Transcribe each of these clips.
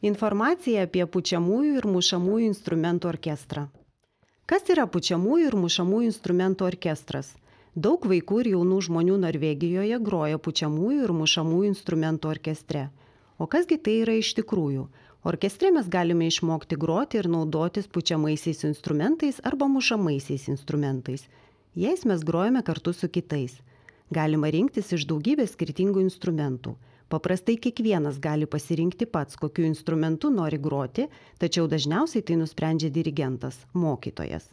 Informacija apie pučiamųjų ir mušamųjų instrumentų orkestrą. Kas yra pučiamųjų ir mušamųjų instrumentų orkestras? Daug vaikų ir jaunų žmonių Norvegijoje groja pučiamųjų ir mušamųjų instrumentų orkestre. O kasgi tai yra iš tikrųjų? Orkestre mes galime išmokti groti ir naudotis pučiamaisiais instrumentais arba mušamaisiais instrumentais. Jais mes grojame kartu su kitais. Galima rinktis iš daugybės skirtingų instrumentų. Paprastai kiekvienas gali pasirinkti pats, kokiu instrumentu nori groti, tačiau dažniausiai tai nusprendžia dirigentas, mokytojas.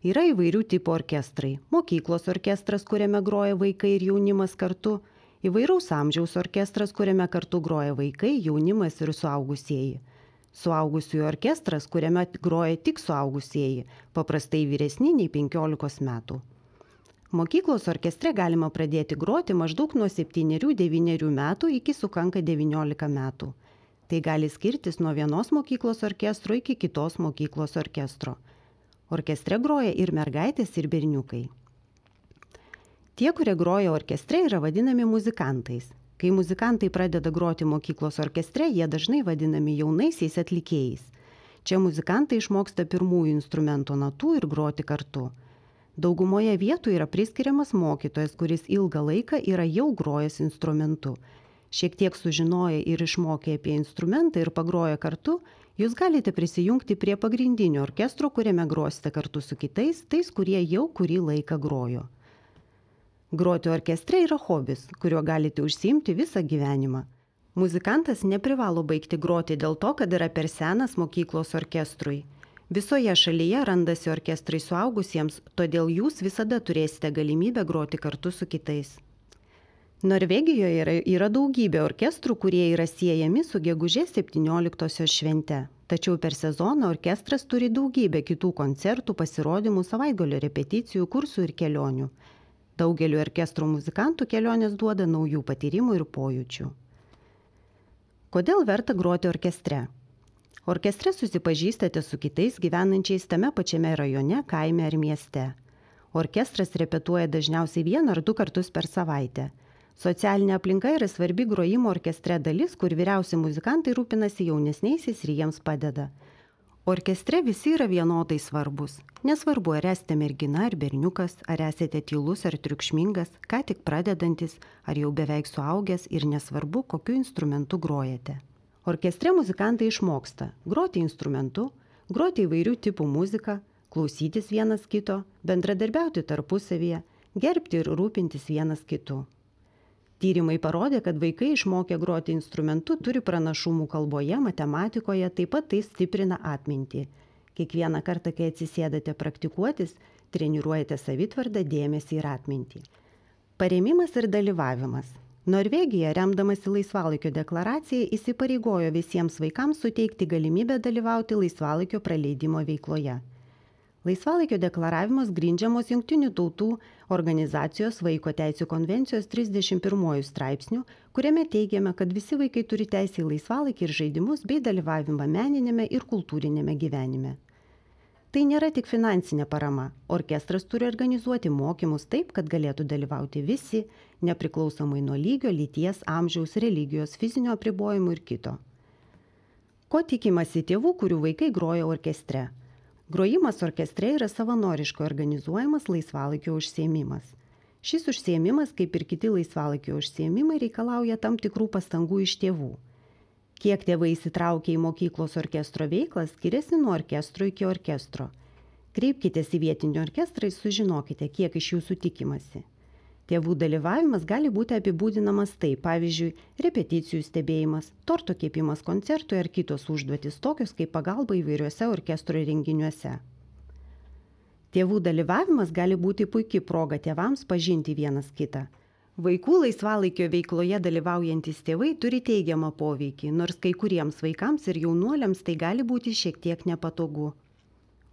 Yra įvairių tipų orkestrai. Mokyklos orkestras, kuriame groja vaikai ir jaunimas kartu. Įvairaus amžiaus orkestras, kuriame kartu groja vaikai, jaunimas ir suaugusieji. Suaugusiųjų orkestras, kuriame groja tik suaugusieji, paprastai vyresni nei 15 metų. Mokyklos orkestre galima pradėti groti maždaug nuo 7-9 metų iki sukanka 19 metų. Tai gali skirtis nuo vienos mokyklos orkestro iki kitos mokyklos orkestro. Orkestre groja ir mergaitės, ir berniukai. Tie, kurie groja orkestre, yra vadinami muzikantais. Kai muzikantai pradeda groti mokyklos orkestre, jie dažnai vadinami jaunaisiais atlikėjais. Čia muzikantai išmoksta pirmųjų instrumento natų ir groti kartu. Daugumoje vietų yra priskiriamas mokytojas, kuris ilgą laiką yra jau grojęs instrumentu. Šiek tiek sužinoję ir išmokę apie instrumentą ir pagroję kartu, jūs galite prisijungti prie pagrindinio orkestro, kuriame grosite kartu su kitais, tais, kurie jau kurį laiką grojo. Groti orkestre yra hobis, kuriuo galite užsiimti visą gyvenimą. Muzikantas neprivalo baigti groti dėl to, kad yra per senas mokyklos orkestrui. Visoje šalyje randasi orkestrai suaugusiems, todėl jūs visada turėsite galimybę groti kartu su kitais. Norvegijoje yra daugybė orkestrų, kurie yra siejami su gegužės 17-osios švente. Tačiau per sezoną orkestras turi daugybę kitų koncertų, pasirodymų, savaitgalio repeticijų, kursų ir kelionių. Daugeliu orkestrų muzikantų kelionės duoda naujų patyrimų ir pojūčių. Kodėl verta groti orkestre? Orkestre susipažįstate su kitais gyvenančiais tame pačiame rajone, kaime ar mieste. Orkestras repetuoja dažniausiai 1 ar 2 kartus per savaitę. Socialinė aplinka yra svarbi grojimo orkestre dalis, kur vyriausi muzikantai rūpinasi jaunesniaisiais ir jiems padeda. Orkestre visi yra vienodai svarbus. Nesvarbu, ar esate mergina ar berniukas, ar esate tylus ar triukšmingas, ką tik pradedantis, ar jau beveik suaugęs ir nesvarbu, kokiu instrumentu grojate. Orkestre muzikantai išmoksta groti instrumentu, groti įvairių tipų muziką, klausytis vienas kito, bendradarbiauti tarpusavyje, gerbti ir rūpintis vienas kitu. Tyrimai parodė, kad vaikai išmokę groti instrumentu turi pranašumų kalboje, matematikoje, taip pat tai stiprina atmintį. Kiekvieną kartą, kai atsisėdate praktikuotis, treniruojate savitvardą, dėmesį ir atmintį. Parėmimas ir dalyvavimas. Norvegija, remdamasi laisvalaikio deklaraciją, įsipareigojo visiems vaikams suteikti galimybę dalyvauti laisvalaikio praleidimo veikloje. Laisvalaikio deklaravimas grindžiamos Jungtinių tautų organizacijos Vaiko teisių konvencijos 31 straipsniu, kuriame teigiama, kad visi vaikai turi teisę į laisvalaikį ir žaidimus bei dalyvavimą meninėme ir kultūrinėme gyvenime. Tai nėra tik finansinė parama. Orkestras turi organizuoti mokymus taip, kad galėtų dalyvauti visi, nepriklausomai nuo lygio, lyties, amžiaus, religijos, fizinio apribojimų ir kito. Ko tikimasi tėvų, kurių vaikai groja orkestre? Grojimas orkestre yra savanoriškai organizuojamas laisvalaikio užsiėmimas. Šis užsiėmimas, kaip ir kiti laisvalaikio užsiėmimai, reikalauja tam tikrų pastangų iš tėvų. Kiek tėvai įsitraukia į mokyklos orkestro veiklą, skiriasi nuo orkestro iki orkestro. Kreipkitės į vietinį orkestrą ir sužinokite, kiek iš jūsų tikimasi. Tėvų dalyvavimas gali būti apibūdinamas taip, pavyzdžiui, repeticijų stebėjimas, torto kepimas koncertui ar kitos užduotis, tokios kaip pagalba įvairiuose orkestro renginiuose. Tėvų dalyvavimas gali būti puikia proga tėvams pažinti vienas kitą. Vaikų laisvalaikio veikloje dalyvaujantis tėvai turi teigiamą poveikį, nors kai kuriems vaikams ir jaunuoliams tai gali būti šiek tiek nepatogu.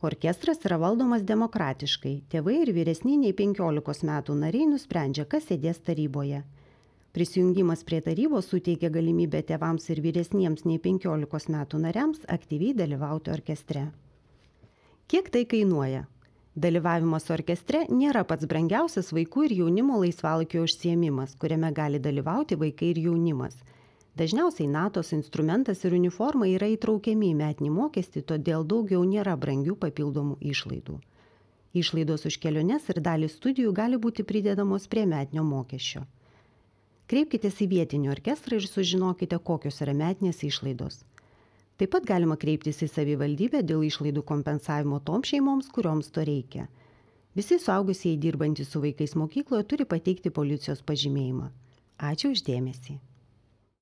Orkestras yra valdomas demokratiškai. Tėvai ir vyresni nei 15 metų nariai nusprendžia, kas sėdės taryboje. Prisijungimas prie tarybos suteikia galimybę tėvams ir vyresniems nei 15 metų nariams aktyviai dalyvauti orkestre. Kiek tai kainuoja? Dalyvavimas orkestre nėra pats brangiausias vaikų ir jaunimo laisvalaikio užsiėmimas, kuriame gali dalyvauti vaikai ir jaunimas. Dažniausiai natos, instrumentas ir uniforma yra įtraukiami į metinį mokestį, todėl daugiau nėra brangių papildomų išlaidų. Išlaidos už keliones ir dalį studijų gali būti pridedamos prie metinio mokesčio. Kreipkitės į vietinį orkestrą ir sužinokite, kokios yra metinės išlaidos. Taip pat galima kreiptis į savivaldybę dėl išlaidų kompensavimo toms šeimoms, kurioms to reikia. Visi suaugusieji dirbantys su vaikais mokykloje turi pateikti policijos pažymėjimą. Ačiū už dėmesį.